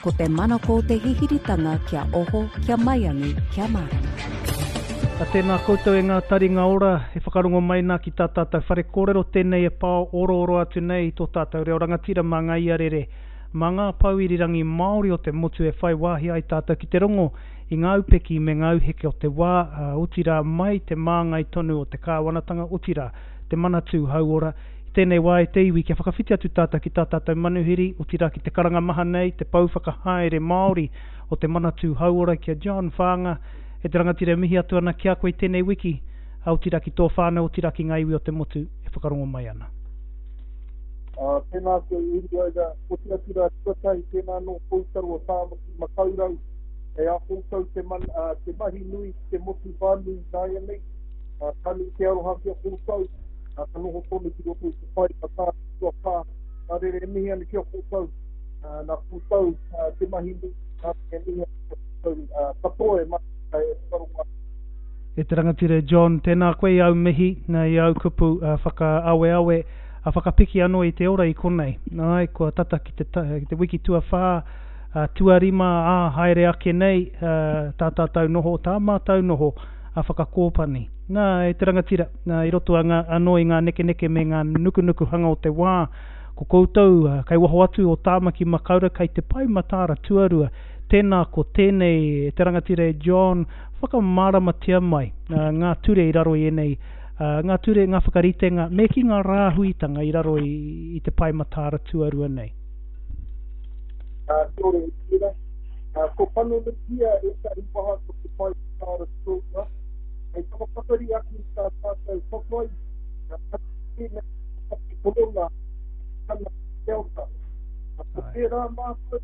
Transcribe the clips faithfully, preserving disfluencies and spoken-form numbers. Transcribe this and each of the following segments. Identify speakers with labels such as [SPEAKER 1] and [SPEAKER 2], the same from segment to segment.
[SPEAKER 1] Ko te manako o te hihiritanga kia oho, kia maiangi, kia mārama.
[SPEAKER 2] A tēnā koutou e ngā taringa ora, e whakarongo mai nā ki tā tātou whare kōrero tēnei e pao orooro atu nei i tō tātou reo rangatira mā ngā iarere, mā ngā pou irirangi Māori o te motu e whai wāhi ai tātou ki te rongo i ngā upeki me ngā auheke o te wā, otirā mai te māngai tonu o te kāwanatanga, otirā te Manatū Hauora. I tēnei wā e te iwi kia whakawhiti atu tātou ki tā tātou manuhiri, otirā ki te karanga maha nei, te pou whakahaere Māori o te Manatū Hauora ki a John Whaanga. E te rangatira e mihi atu ana ki a koe i tēnei wiki, otirā ki tō whānau, otirā ki ngā iwi o te motu e whakarongo mai ana.
[SPEAKER 3] Uh, tēnā koe Uruaira, oti atu rā tuatahi, tēnā nō koutou o Tāmaki Makaurau, e a koutou te, man, uh, te mahi nui ki te motu whānui nāianei, uh, ka nui te aroha ki a koutou, uh, ka noho tonu ki roto i te pai ka tā tuawhā, nā reira e mihi ana ki a koutou, uh, nā koutou uh, te mahi nui, nā e mihi ana ki a koutou uh, katoa e mahi e whakarongo.
[SPEAKER 2] E te rangatira e John, tēnā koe i au mihi, nā i au kupu uh, whakaaweawe, a whakapiki anō i te ora i konei. Ai, kua tata ki te, ta, ki te wiki tuawhā, uh, tuarima, ā, haere ake nei, uh, tā tātou noho, tā mātou noho, a whakakōpani. Nā, e te rangatira, nā, i roto anga, anō i ngā nekeneke me ngā nukunukuhanga o te wā, ko koutou, uh, kei waho atu o Tāmaki Makaurau, kei te pae mataara tuarua, tēnā ko tēnei e te rangatira e John, whakamāramatia mai uh, ngā ture i raro i ēnei, uh, ngā ture, ngā whakaritenga, me ki ngā rāhuitanga i raro i, i te pae mataara tuarua nei.
[SPEAKER 3] Uh, kia ora, Uruaira. Uh, ko panonuhia ētahi waha ko te pae mataara tuarua, hei whakapakari ake i tā tātou whawhai, uh, tēnei korona, tana Delta. Ko tērā mātou,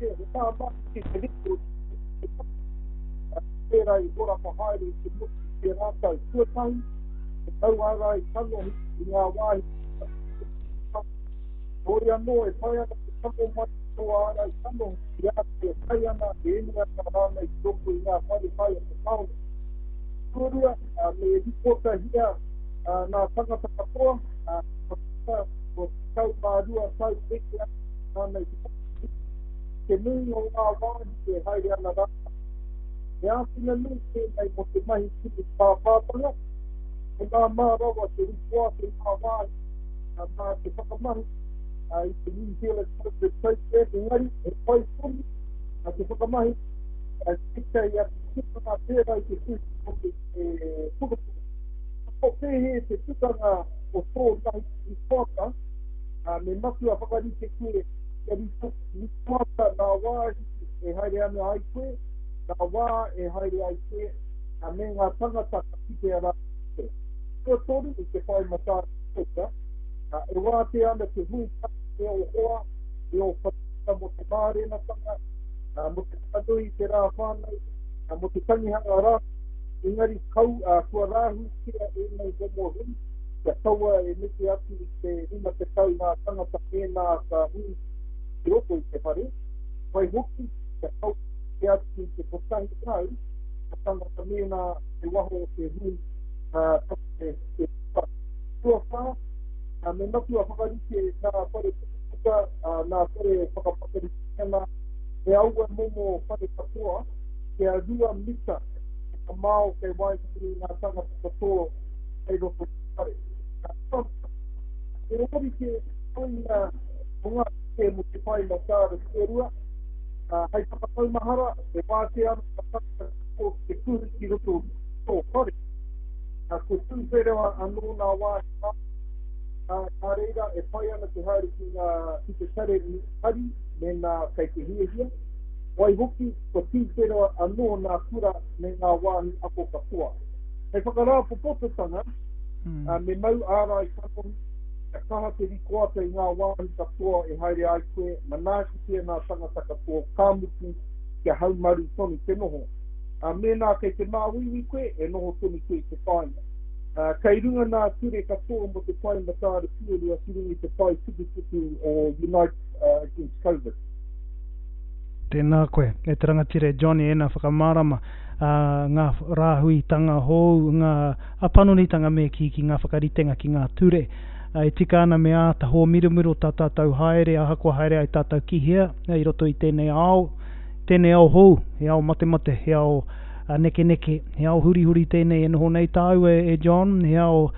[SPEAKER 3] he māmā ki te rito, tērā i horapa haere i te motu i tērā tau. Tuatahi, te tauārai kanohi i ngā wāhi. Heoi anō, e pai ana te tango mai tō ārai kanohi i a koe e kai ana, e inu ana rānei ki roto i ngā whare kai o te tāone. Tuarua, me ripotahia ngā tangata katoa, kua tekau mā rua tau eke atu rānei te whakatū. Te nui o ngā wāhi e haere ana rātou. He āwhina nui tēnei mō te mahi kimi pāpātanga, he māmā rawa te ripoata i ngā wāhi mā te whakamahi i te New Zealand COVID Safe App, engari he pai tonu te whakamahi tētahi atu tukanga pērā i te tuhi o te pukapuka. Ko pēhea te tukanga o tō mahi ripoata, me matua whakarite koe kia ripoata ngā wāhi e haere ana ai koe, ngā wā e haere ai koe, me ngā tangata ka kitea rā koe. Tuatoru i te pae mataara tuarua, e wātea ana te hui tahi me ō hoa, me ō whanaunga mō te mārenatanga, mō te whakanui i te rā whānau, mō te tangihanga rā, engari kau, kua rāhuitia ēnei momo hui, kia kaua e neke atu i te rima tekau ngā tangata mēnā ka hui ki roto i te whare, waihoki kia kaua e neke atu i te kotahi rau ngā tangata mēnā kei waho o te hui te whare. Tuawhā, me matua whakarite ngā whare pukapuka, ngā whare whakapakari tinana, me aua momo whare katoa, kia rua mita te mamao kei waenganui i ngā tangata katoa kei roto i te whare. He ōrite te toenga o ngā take mō te pae mataara tuarua, hei whakamaumahara, e wātea ana ngā tangata katoa ki te kuhu ki roto i tō whare. Kua tūwhera anō ngā wāhi Māori, nā reira e pai ana te haere ki ngā, ki te tare hari mēnā kei te hiahia. Waihoki, kua tūwhera anō ngā kura me ngā wāhi ako katoa. Hei whakarāpopototanga, mm. me mau ārai kanohi, kia kaha te rikoata i ngā wāhi katoa e haere ai koe, manaakitia ngā tangata katoa, ka mutu, kia haumaru tonu te noho. Uh, mēnā kei te māuiui koe, e noho tonu koe i te kāinga. Uh, kei runga ngā ture katoa mō te pae mataara tuarua ki runga i te pae tukutuku o Unite uh, Against COVID.
[SPEAKER 2] Tēnā koe, e te rangatira e Johnny, ēnā whakamārama, ā, ngā rāhuitanga hou, ngā panonitanga me kī ki ngā whakaritenga ki ngā ture, E tika ana me āta hōmiromiro tā tātou haere, ahakoa haere ai tātou ki hea, i roto i tēnei ao, tēnei ao hou, he ao matemate, he ao nekeneke, he ao hurihuri tēnei e noho nei tāua e John, he ao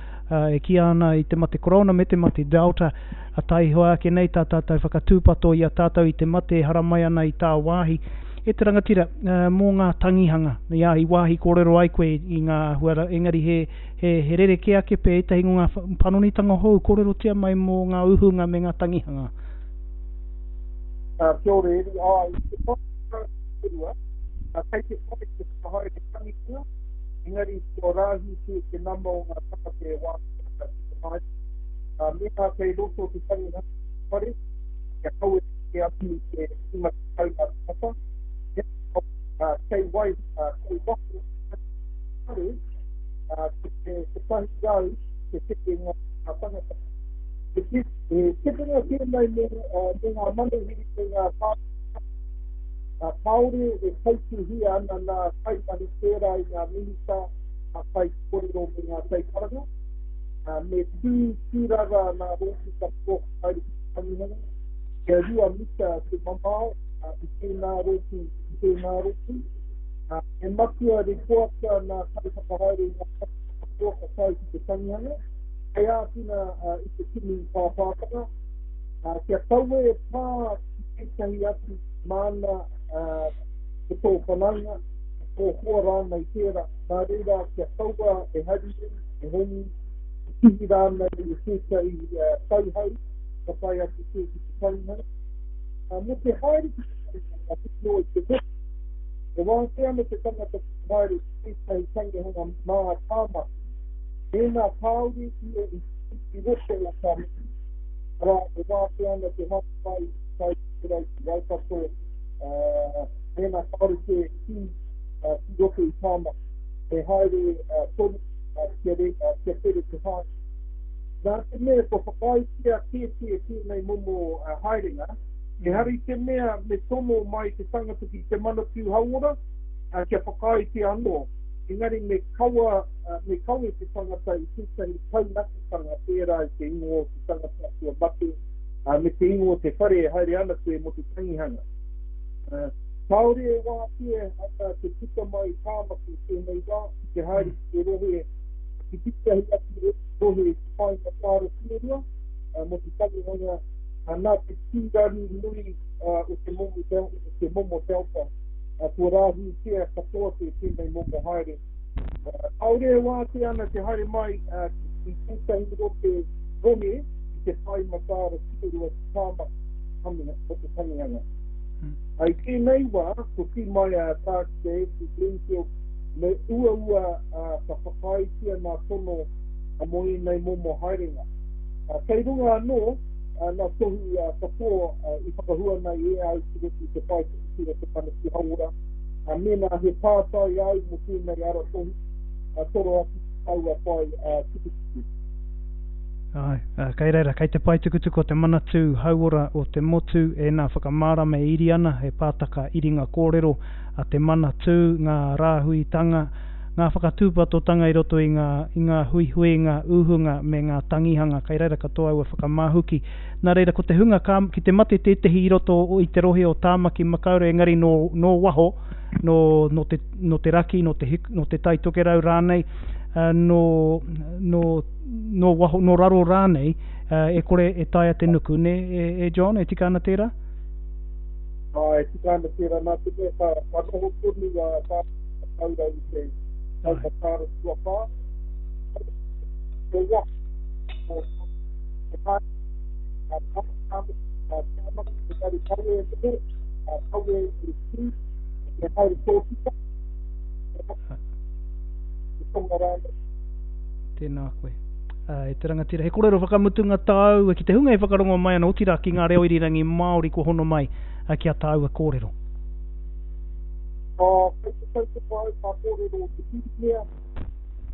[SPEAKER 2] e kīia ana i te mate korona me te mate Delta, a taihoa ake nei tā tātou whakatūpato i a tātou i te mate e haramai ana i tā wāhi. E te rangatira, mō ngā tangihanga, ia, i wāhi kōrero ai koe i ngā huara, engari he, he, he rerekē ake pea ētahi o ngā panonitanga hou, kōrerotia mai mō ngā uhunga me ngā tangihanga.
[SPEAKER 3] Uh, kia ora, Eri, ai, te whakaurua, uh, kei te whai te whakahaere tangihanga, engari kua rāhuitia te nama o ngā tangata e wātea ana ki te haere. Uh, mēnā kei roto te tangihanga whare, kia kaua te atu i te rima tekau ngā tangata, Uh, kei wai, uh, kei waho whare, uh, te, te, te tahi rau, te teke ngā tangata. Te, te, te tikanga tēnei mō, uh, mō ngā manuhiri me ngā tāngata, uh, kāore e tautuhia ana nā kaimahi pērā i ngā minita, ngā kaikōrero me ngā kaikaranga. Uh, me tū tūrara nā rōpū katoa haere ki te tangihanga, kia rua mita te mamao, uh, i tēnā rōpū, i tēnā rōpū. Uh, e matua rekoata nā kaiwhakahaere i ngā katoa ka tae ki te tangihanga, hei āwhina uh, i te kimi pāpātanga, uh, kia kaua e pā ki tētahi atu māna uh, te tō whanaunga, te tō hoa rānei tērā, nā reira kia kaua e haruru, e hongi, e kihi rānei i tētahi uh, tauhau, ka tae atu koe ki te tangihanga. Uh, mō te haere ki te tangihanga, whiti noa i te motu, e wātea ana te tangata ki te haere ki tētahi tangihanga mā Tāmaki, mēnā kāore ia i i roto o Tāmaki. Arā, e wātea ana te haere mai i te Tai Tokerau ki Waikato, uh, mēnā kāore koe ki, uh, ki roto i Tāmaki. E haere uh, tonu uh, kia, re, uh, kia tere te haere. Nā te mea kua whakaaetia kētia tēnei momo uh, haerenga, ehara i te mea me tono mai te tangata ki te Manatū Hauora, uh, kia whakaaetia anō. Engari me kawa, uh, me kawe te tangata i tētahi taunakitanga pērā i te ingoa o te tangata kua mate, uh, me te ingoa o te whare e haere ana koe mō te tangihanga. Uh, kāore e wātea ana te puta mai Tāmaki tēnei wā, ki te haere ki te rohe, ki tētahi atu rohe i te whāinga tāra tuarua, uh, mō te tangihanga, uh, nā te tūraru nui uh, o te momo, del, te momo Delta, uh, kua rāhuitia katoa te tēnei momo haere. Uh, kāore e wātea ana te haere mai uh, ki tētahi rohe rohe i te whai matāra tuarua ki Tāmaki mō te tangihanga.
[SPEAKER 2] Mm.
[SPEAKER 3] I tēnei wā, ko kī mai a Tākuta Andrew Bloomfield, me uaua uh, ka whakaaetia nā tono uh, mō ēnei momo haerenga. Uh, kei runga anō, uh, nā tohu uh, katoa uh, i whakahua nei e au ki roto i te pae tukutuku o te Manatū Hauora. Uh, mēnā he pātai au mō tēnei aratohu, uh, toro atu ki taua pae uh, tukutuku.
[SPEAKER 2] Ai, uh, kei reira, kei te pae tukutuku o te Manatū Hauora o te motu, e nā whakamārama e iri ana, he pātaka iringa kōrero a te Manatū, ngā rāhuitanga, ngā whakatūpatotanga i roto i ngā, i ngā huihuinga, uhunga me ngā tangihanga, kei reira katoa aua whakamāhuki. Nā reira, ko te hunga ka, ki te mate tētehi i roto i te rohe o Tāmaki Makaurau, engari nō, nō waho, nō, nō, te, nō te raki, nō te, hiku, nō te Tai Tokerau rānei, uh, nō, nō, nō waho, nō raro rānei, uh, e kore e taea te nuku, ne, e, e John, e tika ana tērā?
[SPEAKER 3] Ai, e tika ana tērā, nā te mea ka, ka noho tonu a Tāmaki Makaurau i te Taumatāra tuawhā. Ko waho, ko te haere, a Tāmaki, a Tāmaki, engari kawe e noho, a kawe e tū, e haere tōtika, te tonga rānei.
[SPEAKER 2] Tēnā koe. Uh, e te rangatira, he kōrero whakamutunga tāua ki te hunga e whakarongo mai ana, otirā ki ngā reo irirangi Māori kua hono mai uh, ki a tāua kōrero.
[SPEAKER 3] Uh, kei te tautoko au kā kōrero o te Pirimia,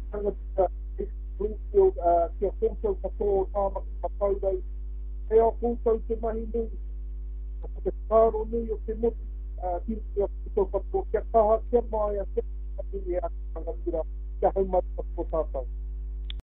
[SPEAKER 3] tangata Bloomfield, uh, kia koutou katoa o Tāmaki Makaurau, kei a koutou te mahi nui, ko te whakaaro nui o te motu, uh, ki a koutou katoa, kia kaha, kia maia, kia nui e a rangatira, kia haumaru katoa tātou.